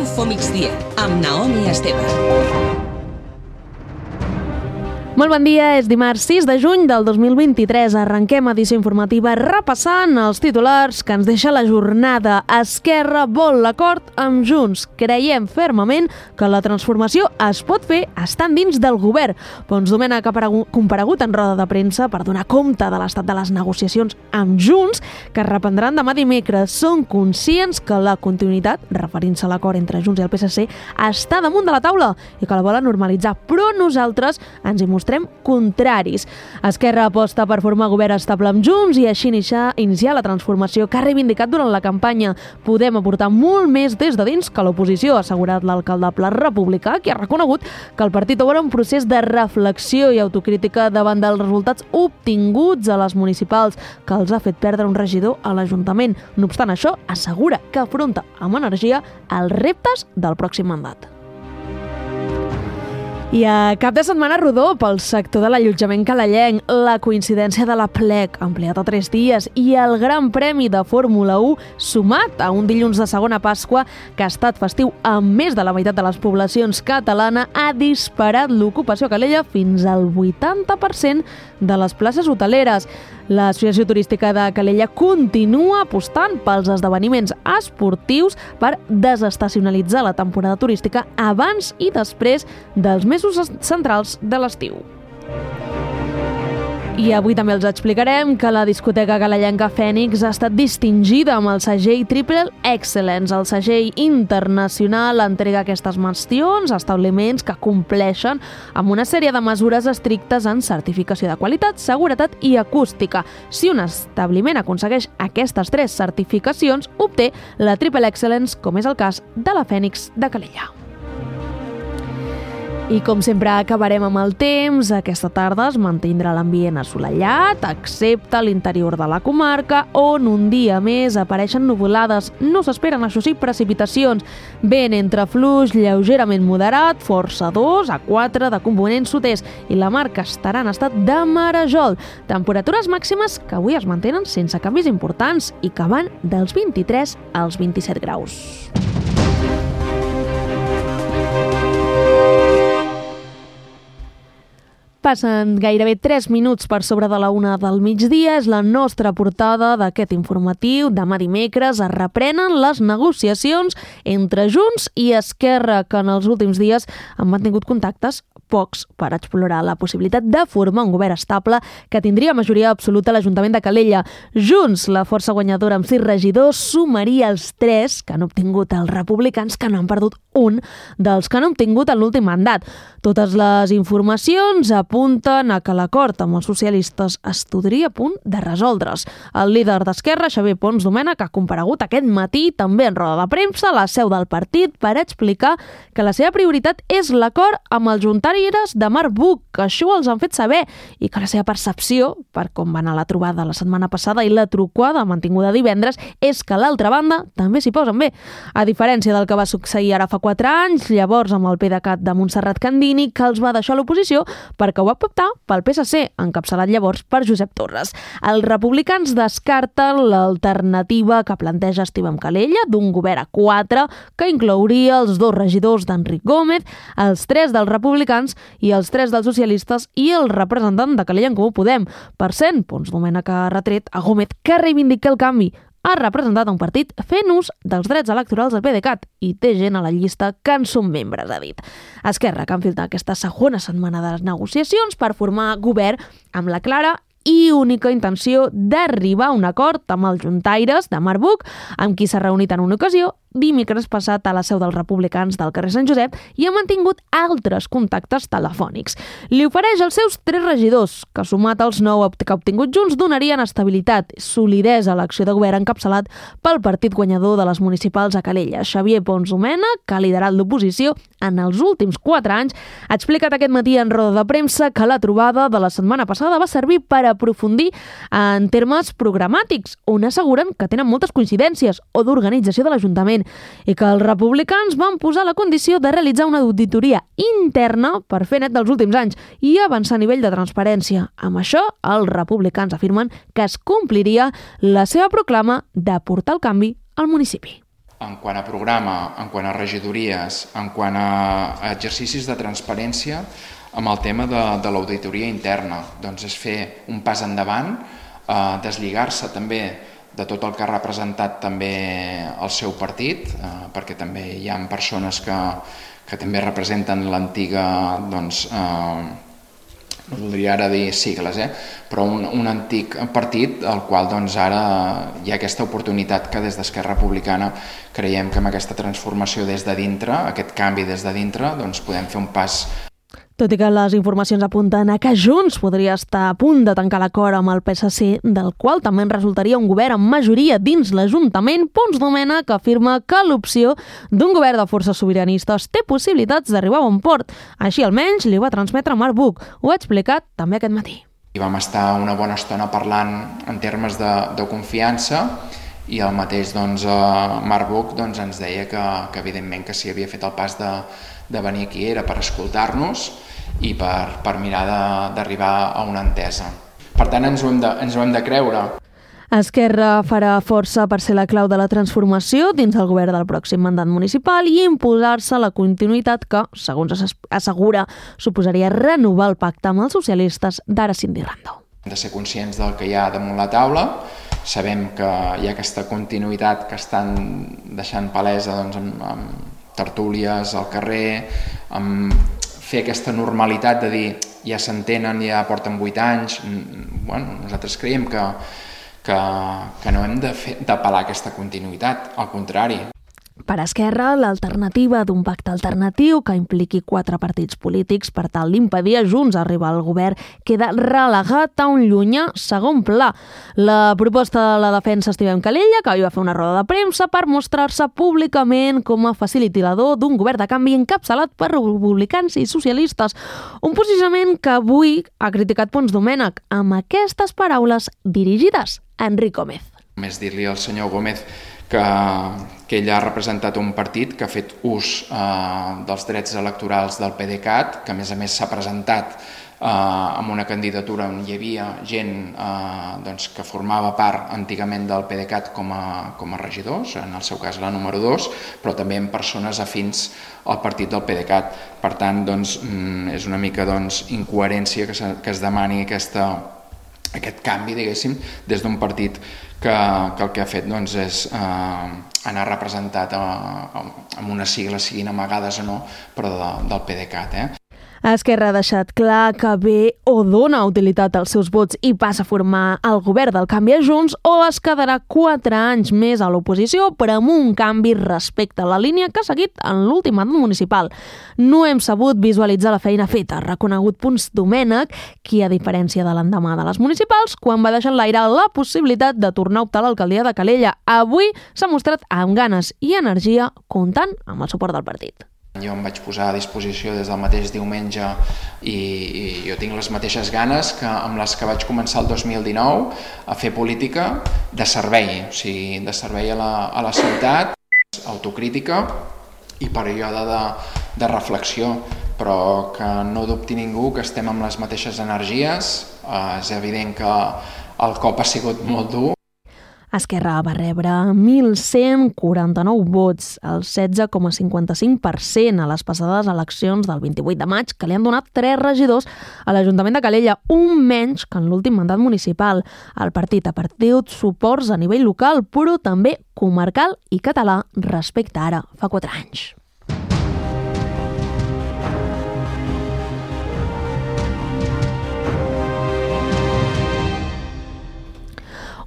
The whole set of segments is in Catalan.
Info Migdia, amb Naomi Esteve. Molt bon dia, és dimarts 6 de juny del 2023. Arrenquem edició informativa repassant els titulars que ens deixa la jornada. Esquerra vol l'acord amb Junts. Creiem fermament que la transformació es pot fer estant dins del govern. Pons Domènech ha comparegut en roda de premsa per donar compte de l'estat de les negociacions amb Junts, que es reprendran demà dimecres. Són conscients que la continuïtat, referint-se a l'acord entre Junts i el PSC, està damunt de la taula i que la volen normalitzar, però nosaltres ens hi mostrem contraris. Esquerra aposta per formar govern estable amb Junts i així iniciar la transformació que ha reivindicat durant la campanya. Podem aportar molt més des de dins que l'oposició, ha assegurat l'alcaldable republicà, que ha reconegut que el partit obre un procés de reflexió i autocrítica davant dels resultats obtinguts a les municipals, que els ha fet perdre un regidor a l'Ajuntament. No obstant això, assegura que afronta amb energia els reptes del pròxim mandat. I a cap de setmana rodó pel sector de l'allotjament calellenc, la coincidència de la plec, ampliat a 3 dies, i el Gran Premi de Fórmula 1, sumat a un dilluns de segona Pasqua, que ha estat festiu amb més de la meitat de les poblacions catalanes, ha disparat l'ocupació a Calella fins al 80% de les places hoteleres. L'Associació Turística de Calella continua apostant pels esdeveniments esportius per desestacionalitzar la temporada turística abans i després dels mesos centrals de l'estiu. I avui també els explicarem que la discoteca calellenca Fènix ha estat distingida amb el segell Triple Excellence. El segell internacional entrega aquestes mencions a establiments que compleixen amb una sèrie de mesures estrictes en certificació de qualitat, seguretat i acústica. Si un establiment aconsegueix aquestes 3 certificacions, obté la Triple Excellence, com és el cas de la Fènix de Calella. I com sempre acabarem amb el temps. Aquesta tarda es mantindrà l'ambient assolellat, excepte a l'interior de la comarca, on un dia més apareixen nuvolades. No s'esperen, això sí, precipitacions. Vent entre fluix lleugerament moderat, força 2 a 4 de component sud-est, i la mar que estarà en estat de marejol. Temperatures màximes que avui es mantenen sense canvis importants i que van dels 23 als 27 graus. Passen gairebé 3 minuts per sobre de la 1 del migdia. És la nostra portada d'aquest informatiu. Demà dimecres es reprenen les negociacions entre Junts i Esquerra, que en els últims dies han mantingut contactes pocs per explorar la possibilitat de formar un govern estable que tindria majoria absoluta a l'Ajuntament de Calella. Junts, la força guanyadora amb 6 regidors, sumaria els 3 que han obtingut els republicans, que no han perdut un dels que han obtingut en l'últim mandat. Totes les informacions apunten a que l'acord amb els socialistes estudria a punt de resoldre's. El líder d'Esquerra, Xavier Pons Domènech, ha comparegut aquest matí també en roda de premsa a la seu del partit per explicar que la seva prioritat és l'acord amb els juntaris de Marc Buch, que això els han fet saber, i que la seva percepció, per com va anar la trobada la setmana passada i la trucada mantinguda divendres, és que l'altra banda també s'hi posen bé. A diferència del que va succeir ara fa 4 anys, llavors amb el PDeCAT de Montserrat Candini, que els va deixar a l'oposició perquè ho va optar pel PSC, encapçalat llavors per Josep Torres. Els republicans descarten l'alternativa que planteja Estivem Calella d'un govern a 4, que inclouria els 2 regidors d'Enric Gómez, els 3 dels republicans i els 3 dels socialistes i el representant de Calella en Comú Podem. Per cent, Pons Domènech ha retret a Gómez que reivindica el canvi. Ha representat un partit fent ús dels drets electorals del PDeCAT i té gent a la llista que en són membres, ha dit. Esquerra, que han filtrat aquesta segona setmana de les negociacions per formar govern amb la clara i única intenció d'arribar a un acord amb els juntaires de Marc Buch, amb qui s'ha reunit en una ocasió dimecres passat a la seu dels republicans del carrer Sant Josep i ha mantingut altres contactes telefònics. Li ofereix els seus 3 regidors, que sumat als 9 que ha obtingut Junts donarien estabilitat, solidesa a l'acció de govern encapçalat pel partit guanyador de les municipals a Calella. Xavier Pons Domènech, que ha liderat l'oposició en els últims 4 anys, ha explicat aquest matí en roda de premsa que la trobada de la setmana passada va servir per aprofundir en termes programàtics, on asseguren que tenen moltes coincidències, o d'organització de l'Ajuntament, i que els republicans van posar la condició de realitzar una auditoria interna per fer net dels últims anys i avançar a nivell de transparència. Amb això, els republicans afirmen que es compliria la seva proclama de portar el canvi al municipi. en quant a programa, en quant a regidories, en quant a exercicis de transparència amb el tema de l'auditoria interna. Doncs és fer un pas endavant, deslligar-se també de tot el que ha representat també el seu partit, perquè també hi ha persones que també representen l'antiga, doncs, no voldria ara dir sigles, però un antic partit al qual doncs, ara hi ha aquesta oportunitat que des d'Esquerra Republicana creiem que amb aquesta transformació des de dintre, aquest canvi des de dintre, doncs podem fer un pas. Tot i que les informacions apunten a que Junts podria estar a punt de tancar l'acord amb el PSC, del qual també en resultaria un govern amb majoria dins l'Ajuntament, Pons Domènech afirma que l'opció d'un govern de forces sobiranistes té possibilitats d'arribar a bon port. Així almenys li va transmetre Marc Buch. Ho ha explicat també aquest matí. I vam estar una bona estona parlant en termes de confiança i el mateix Marc Buch ens deia que evidentment que si havia fet el pas de venir aquí era per escoltar-nos i per mirar d'arribar a una entesa. Per tant, ens ho hem de creure. Esquerra farà força per ser la clau de la transformació dins el govern del pròxim mandat municipal i imposar-se la continuïtat que, segons assegura, suposaria renovar el pacte amb els socialistes d'ara Cindy Rando. Hem de ser conscients del que hi ha damunt la taula. Sabem que hi ha aquesta continuïtat que estan deixant palesa amb tertúlies al carrer, amb fer aquesta normalitat de dir ja s'entenen, ja porten 8 anys. Nosaltres creiem que no hem d'apel·lar aquesta continuïtat, al contrari. Per Esquerra, l'alternativa d'un pacte alternatiu que impliqui 4 partits polítics per tal d'impedir a Junts arribar al govern queda relegat a un llunyà segon pla. La proposta de la defensa Esteve Calella, que ahir va fer una roda de premsa per mostrar-se públicament com a facilitador d'un govern de canvi encapçalat per republicans i socialistes. Un posicionament que avui ha criticat Pons Domènech amb aquestes paraules dirigides a Enric Gómez. Només dir-li al senyor Gómez que ell ha representat un partit que ha fet ús dels drets electorals del PDeCAT, que a més s'ha presentat amb una candidatura on hi havia gent que formava part antigament del PDeCAT com a regidors, en el seu cas la número 2, però també amb persones afins al partit del PDeCAT. Per tant, és una mica incoherència que es demani aquest canvi, diguéssim, des d'un partit que el que ha fet és anar representat amb unes sigles, siguin amagades o no, però del PDeCAT. Esquerra ha deixat clar que ve o dona utilitat als seus vots i passa a formar el govern del canvi a Junts, o es quedarà 4 anys més a l'oposició, però amb un canvi respecte a la línia que ha seguit en l'últim mandat municipal. No hem sabut visualitzar la feina feta, ha reconegut Pons Domènech, qui, a diferència de l'endemà de les municipals, quan va deixar en l'aire la possibilitat de tornar a optar a l'alcaldia de Calella, avui s'ha mostrat amb ganes i energia, comptant amb el suport del partit. Jo em vaig posar a disposició des del mateix diumenge i jo tinc les mateixes ganes amb les que vaig començar el 2019 a fer política de servei, o sigui, de servei a la ciutat, autocrítica i període de reflexió, però que no dubti ningú que estem amb les mateixes energies. És evident que el cop ha sigut molt dur. Esquerra va rebre 1.149 vots, el 16,55% a les passades eleccions del 28 de maig, que li han donat 3 regidors a l'Ajuntament de Calella, un menys que en l'últim mandat municipal. El partit ha perdut suports a nivell local, però també comarcal i català respecte ara fa 4 anys.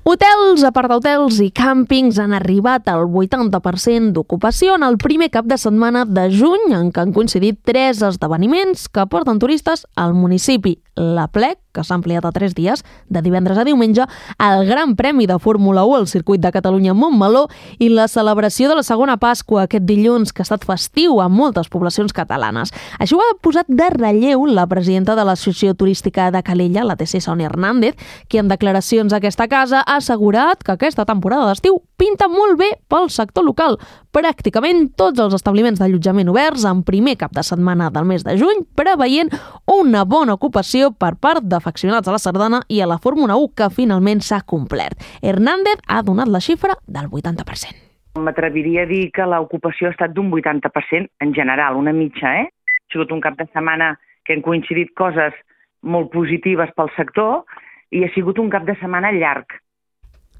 Hotels, aparthotels i càmpings han arribat al 80% d'ocupació en el primer cap de setmana de juny, en què han coincidit 3 esdeveniments que porten turistes al municipi. La Plec, que s'ha ampliat a 3 dies, de divendres a diumenge, el Gran Premi de Fórmula 1 al Circuit de Catalunya a Montmeló i la celebració de la segona Pasqua aquest dilluns, que ha estat festiu a moltes poblacions catalanes. Això ho ha posat de relleu la presidenta de l'Associació Turística de Calella, la TC Sònia Hernández, qui en declaracions a aquesta casa ha assegurat que aquesta temporada d'estiu pinta molt bé pel sector local. Pràcticament tots els establiments d'allotjament oberts en primer cap de setmana del mes de juny, preveient una bona ocupació per part d'afeccionats a la sardana i a la Fórmula 1, que finalment s'ha complert. Hernández ha donat la xifra del 80%. M'atreviria a dir que l'ocupació ha estat d'un 80% en general, una mitja, Ha sigut un cap de setmana que han coincidit coses molt positives pel sector i ha sigut un cap de setmana llarg.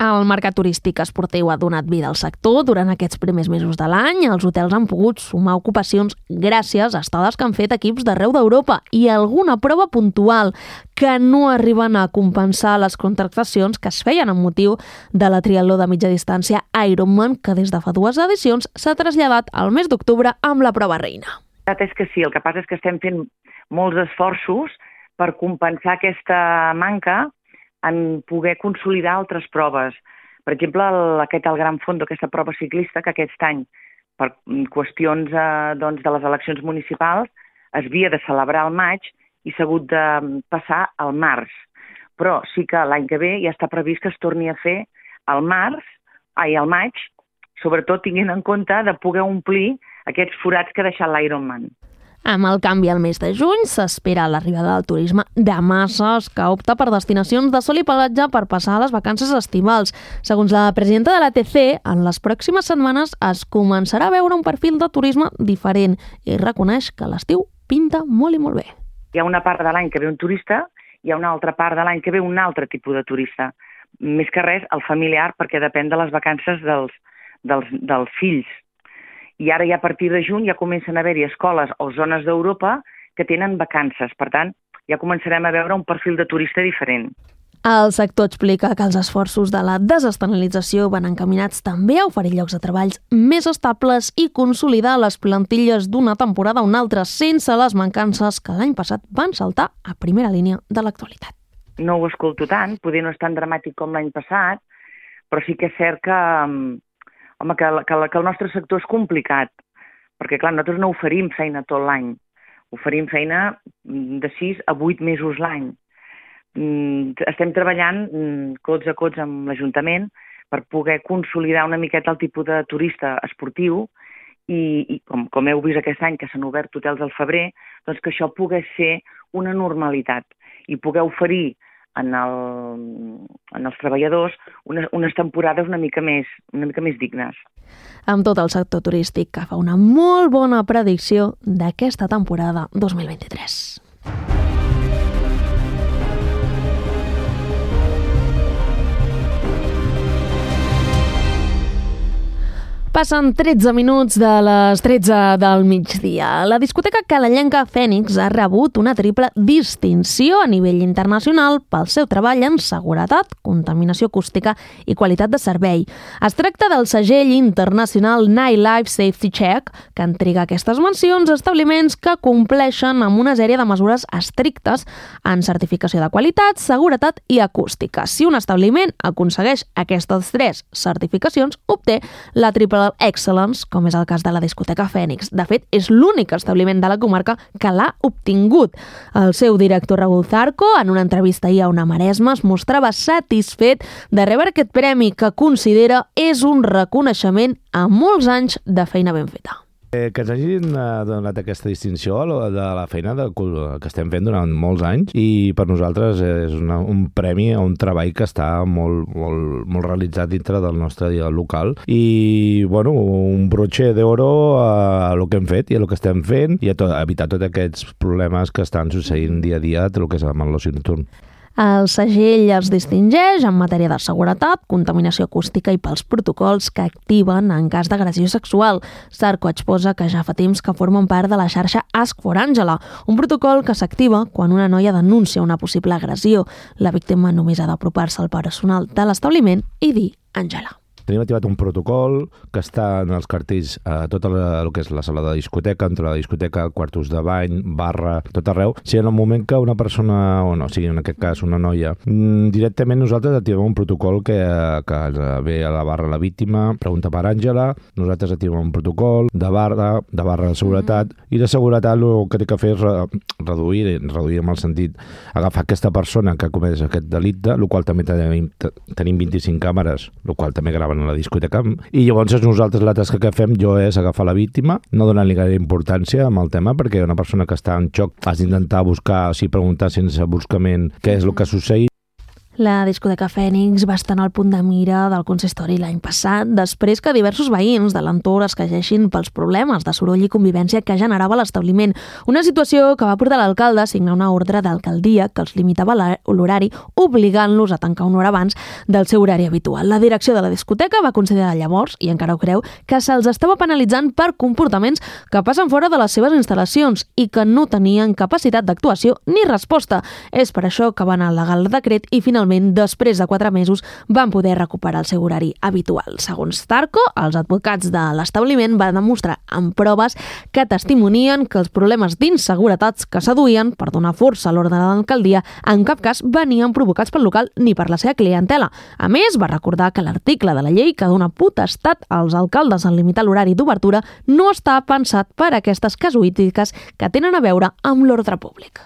El mercat turístic esportiu ha donat vida al sector durant aquests primers mesos de l'any. Els hotels han pogut sumar ocupacions gràcies a estades que han fet equips d'arreu d'Europa i alguna prova puntual que no arriben a compensar les contractacions que es feien amb motiu de la triatló de mitja distància Ironman, que des de fa 2 edicions s'ha traslladat al mes d'octubre amb la prova reina. La veritat és que sí, el que passa és que estem fent molts esforços per compensar aquesta manca en poder consolidar altres proves. Per exemple, el Gran Fondo, aquesta prova ciclista que aquest any, per qüestions de les eleccions municipals, es havia de celebrar al maig i s'ha hagut de passar al març. Però sí que l'any que ve ja està previst que es torni a fer al maig, sobretot tinguent en compte de poder omplir aquests forats que ha deixat l'Ironman. Amb el canvi al mes de juny s'espera l'arribada del turisme de masses que opta per destinacions de sol i pelatge per passar les vacances estivals. Segons la presidenta de l'ATC, en les pròximes setmanes es començarà a veure un perfil de turisme diferent i reconeix que l'estiu pinta molt i molt bé. Hi ha una part de l'any que ve un turista, hi ha una altra part de l'any que ve un altre tipus de turista. Més que res, el familiar, perquè depèn de les vacances dels fills. I ara ja a partir de juny ja comencen a haver-hi escoles o zones d'Europa que tenen vacances. Per tant, ja començarem a veure un perfil de turista diferent. El sector explica que els esforços de la desestacionalització van encaminats també a oferir llocs de treballs més estables i consolidar les plantilles d'una temporada a una altra sense les mancances que l'any passat van saltar a primera línia de l'actualitat. No ho escolto tant, poder no és tan dramàtic com l'any passat, però sí que és cert que el nostre sector és complicat, perquè clar, nosaltres no oferim feina tot l'any, oferim feina de 6 a 8 mesos l'any. Estem treballant cots a cots amb l'Ajuntament per poder consolidar una miqueta el tipus de turista esportiu i com heu vist aquest any que s'han obert hotels al febrer, doncs que això pogués ser una normalitat i poder oferir en els treballadors unes temporades una mica més dignes. Amb tot el sector turístic que fa una molt bona predicció d'aquesta temporada 2023. Passen 13 minuts de les 13 del migdia. La discoteca calellenca Fènix ha rebut una triple distinció a nivell internacional pel seu treball en seguretat, contaminació acústica i qualitat de servei. Es tracta del segell internacional Nightlife Safety Check, que entrega aquestes mencions a establiments que compleixen amb una sèrie de mesures estrictes en certificació de qualitat, seguretat i acústica. Si un establiment aconsegueix aquestes 3 certificacions, obté la triple Excellence, com és el cas de la discoteca Fènix. De fet, és l'únic establiment de la comarca que l'ha obtingut. El seu director Raúl Zarco, en una entrevista ahir a Ona Maresma, es mostrava satisfet de rebre aquest premi que considera és un reconeixement a molts anys de feina ben feta. Que ens hagin donat aquesta distinció de la feina que estem fent durant molts anys i per nosaltres és un premi a un treball que està molt realitzat dintre del nostre local i un broche d'oro a el que hem fet i a el que estem fent i a evitar tots aquests problemes que estan succeint dia a dia del que és amb l'oci nocturn. El segell els distingeix en matèria de seguretat, contaminació acústica i pels protocols que activen en cas d'agressió sexual. Zarco exposa que ja fa temps que formen part de la xarxa Ask for Angela, un protocol que s'activa quan una noia denuncia una possible agressió. La víctima només ha d'apropar-se al personal de l'establiment i dir Angela. Tenim activat un protocol que està en els cartells a tot el que és la sala de discoteca, entre la discoteca, quartos de bany, barra, tot arreu. Si en el moment que una persona, o no, sigui en aquest cas una noia, directament nosaltres activem un protocol que ve a la barra la víctima, pregunta per Àngela, nosaltres activem un protocol de barra de seguretat, i de seguretat el que té que fer és reduir en el sentit, agafar aquesta persona que ha comès aquest delicte, el qual també tenim 25 càmeres, el qual també grava a la discoteca, i llavors nosaltres la tasca que fem és agafar la víctima, no donar-li gaire importància amb el tema, perquè una persona que està en xoc has d'intentar buscar, preguntar sense buscament què és el que ha succeït. La discoteca Fènix va estar en el punt de mira del consistori l'any passat, després que diversos veïns de l'entorn es queixessin pels problemes de soroll i convivència que generava l'establiment. Una situació que va portar l'alcalde a signar una ordre d'alcaldia que els limitava l'horari, obligant-los a tancar una hora abans del seu horari habitual. La direcció de la discoteca va considerar llavors, i encara ho creu, que se'ls estava penalitzant per comportaments que passen fora de les seves instal·lacions i que no tenien capacitat d'actuació ni resposta. És per això que van al·legar el decret i finalment, després de 4 mesos, van poder recuperar el seu horari habitual. Segons Tarco, els advocats de l'establiment van demostrar amb proves que testimonien que els problemes d'inseguretats que s'aduïen per donar força a l'ordre de l'alcaldia en cap cas venien provocats pel local ni per la seva clientela. A més, va recordar que l'article de la llei que dona potestat als alcaldes en limitar l'horari d'obertura no està pensat per a aquestes casuístiques que tenen a veure amb l'ordre públic.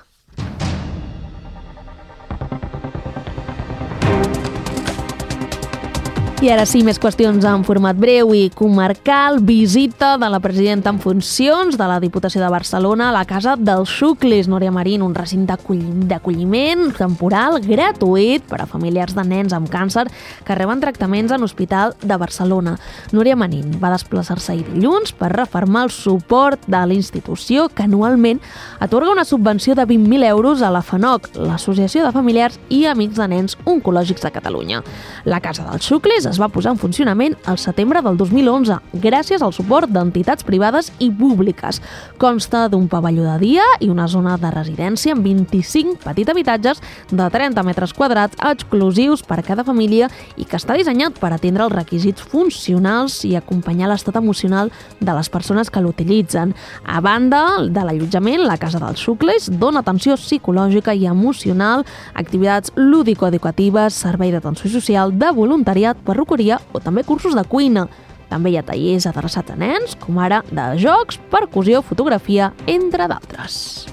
I ara sí, més qüestions en format breu i comarcal. Visita de la presidenta en funcions de la Diputació de Barcelona a la Casa dels Xuclis, Núria Marín, un recinte d'acolliment temporal gratuït per a familiars de nens amb càncer que reben tractaments en l'Hospital de Barcelona. Núria Marín va desplaçar-se ahir dilluns per refermar el suport de la institució que anualment atorga una subvenció de 20.000 euros a la FANOC, l'Associació de Familiars i Amics de Nens Oncològics de Catalunya. La Casa dels Xuclis es va posar en funcionament al setembre del 2011 gràcies al suport d'entitats privades i públiques. Consta d'un pavelló de dia i una zona de residència amb 25 petits habitatges de 30 metres quadrats exclusius per a cada família i que està dissenyat per atendre els requisits funcionals i acompanyar l'estat emocional de les persones que l'utilitzen. A banda de l'allotjament, la Casa dels Xuclis dona atenció psicològica i emocional, activitats lúdico-educatives, servei d'atenció social, de voluntariat, perruqueria o també cursos de cuina. També hi ha tallers adreçats a nens, com ara de jocs, percussió, fotografia, entre d'altres.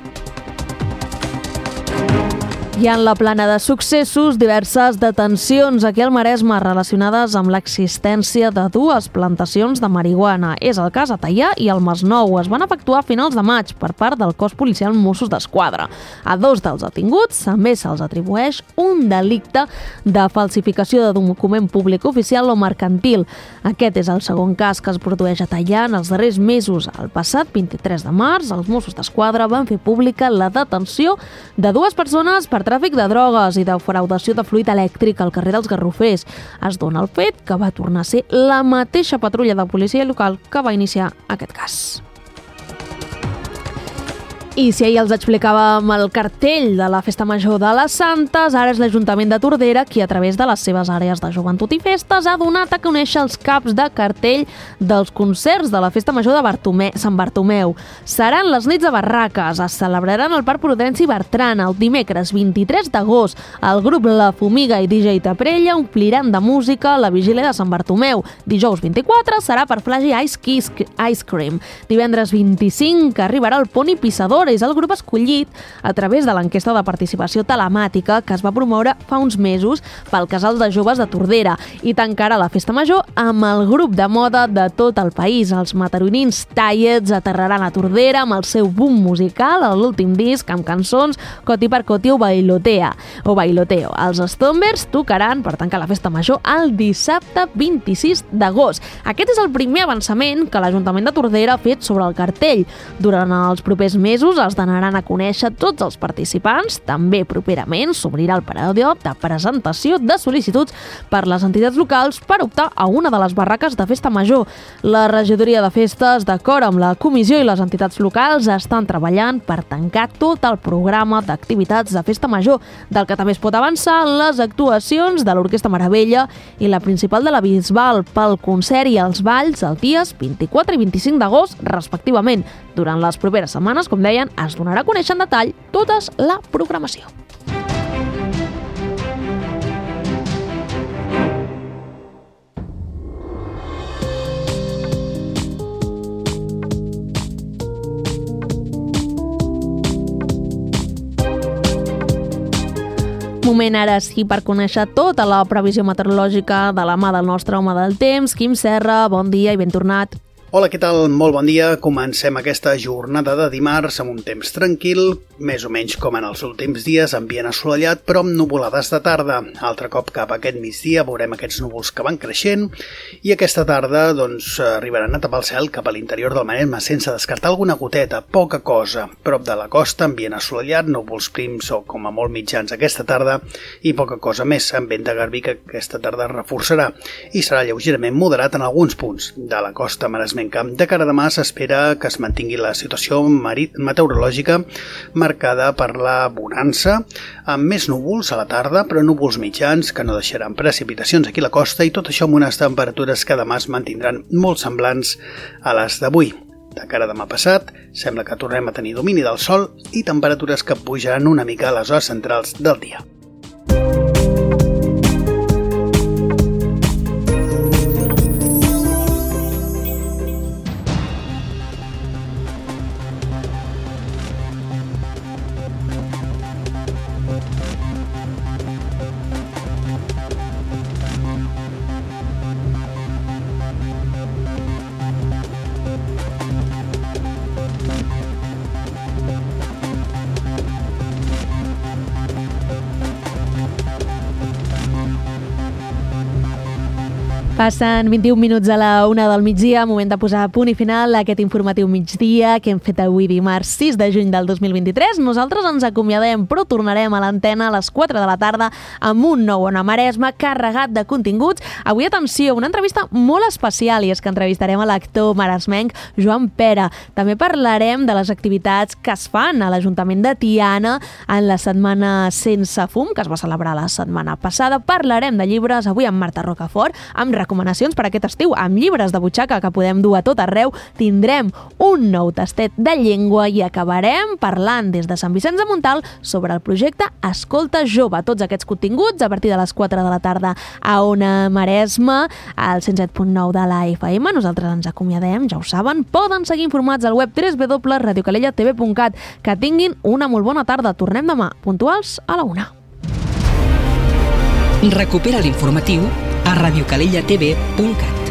I en la plana de successos, diverses detencions aquí al Maresme relacionades amb l'existència de 2 plantacions de marihuana. És el cas a Teià i al Masnou. Es van efectuar a finals de maig per part del cos policial Mossos d'Esquadra. A 2 dels detinguts també se'ls atribueix un delicte de falsificació de document públic oficial o mercantil. Aquest és el segon cas que es produeix a Teià en els darrers mesos. El passat 23 de març, els Mossos d'Esquadra van fer pública la detenció de 2 persones per tràfic de drogues i defraudació de fluid elèctric al carrer dels Garrofers. Es dona el fet que va tornar a ser la mateixa patrulla de policia local que va iniciar aquest cas. I si ahir els explicàvem el cartell de la Festa Major de les Santes, ara és l'Ajuntament de Tordera qui, a través de les seves àrees de joventut i festes, ha donat a conèixer els caps de cartell dels concerts de la Festa Major de Sant Bartomeu. Seran les nits de barraques, es celebraran al Parc Prudenci Bertran el dimecres 23 d'agost. El grup La Fumiga i DJ Taprella ompliran de música la vigília de Sant Bartomeu. Dijous 24 serà per Flagi Ice Cream. Divendres 25 arribarà el Poni Pissador. És el grup escollit a través de l'enquesta de participació telemàtica que es va promoure fa uns mesos pel Casal de Joves de Tordera i tancarà la Festa Major amb el grup de moda de tot el país. Els mataronins Tallets aterraran a Tordera amb el seu boom musical a l'últim disc amb cançons Coti per Coti o Bailoteo. Els Stombers tocaran per tancar la Festa Major el dissabte 26 d'agost. Aquest és el primer avançament que l'Ajuntament de Tordera ha fet sobre el cartell. Durant els propers mesos es donaran a conèixer tots els participants. També properament s'obrirà el període de presentació de sol·licituds per les entitats locals per optar a una de les barraques de Festa Major. La regidoria de festes, d'acord amb la comissió i les entitats locals, estan treballant per tancar tot el programa d'activitats de Festa Major, del que també es pot avançar les actuacions de l'Orquestra Meravella i la principal de la Bisbal pel concert i els balls els dies 24 i 25 d'agost, respectivament. Durant les properes setmanes, com deien, es donarà a conèixer en detall tota la programació. Moment ara sí per conèixer tota la previsió meteorològica de la mà del nostre home del temps, Quim Serra. Bon dia i ben tornat. Hola, què tal? Molt bon dia. Comencem aquesta jornada de dimarts amb un temps tranquil, més o menys com en els últims dies, ambient assolellat, però amb nuvolades de tarda. Altre cop cap a aquest migdia veurem aquests núvols que van creixent i aquesta tarda arribaran a tapar el cel cap a l'interior del Maresme sense descartar alguna goteta, poca cosa. Prop de la costa, ambient assolellat, núvols prims o com a molt mitjans aquesta tarda i poca cosa més. Amb vent de garbí que aquesta tarda es reforçarà i serà lleugerament moderat en alguns punts de la costa maresmenca. De cara a demà s'espera que es mantingui la situació meteorològica marcada per la bonança, amb més núvols a la tarda, però núvols mitjans que no deixaran precipitacions aquí a la costa i tot això amb unes temperatures que demà es mantindran molt semblants a les d'avui. De cara a demà passat, sembla que tornem a tenir domini del sol i temperatures que pujaran una mica a les hores centrals del dia. Passen 21 minuts a la 1 del migdia, moment de posar punt i final a aquest informatiu migdia que hem fet avui dimarts 6 de juny del 2023. Nosaltres ens acomiadem, però tornarem a l'antena a les 4 de la tarda amb un nou Ona Maresme carregat de continguts. Avui, atenció, una entrevista molt especial i és que entrevistarem a l'actor maresmenc Joan Pera. També parlarem de les activitats que es fan a l'Ajuntament de Tiana en la Setmana Sense Fum, que es va celebrar la setmana passada. Parlarem de llibres avui amb Marta Rocafort, amb recomanacions per aquest estiu, amb llibres de butxaca que podem dur a tot arreu. Tindrem un nou tastet de llengua i acabarem parlant des de Sant Vicenç de Montalt sobre el projecte Escolta Jove. Tots aquests continguts a partir de les 4 de la tarda a Ona Maresme, al 107.9 de la FM. Nosaltres ens acomiadem, ja ho saben. Poden seguir informats al web www.radiocalellatv.cat. Que tinguin una molt bona tarda. Tornem demà, puntuals a la 1. Recupera l'informatiu a radiocalellatv.cat.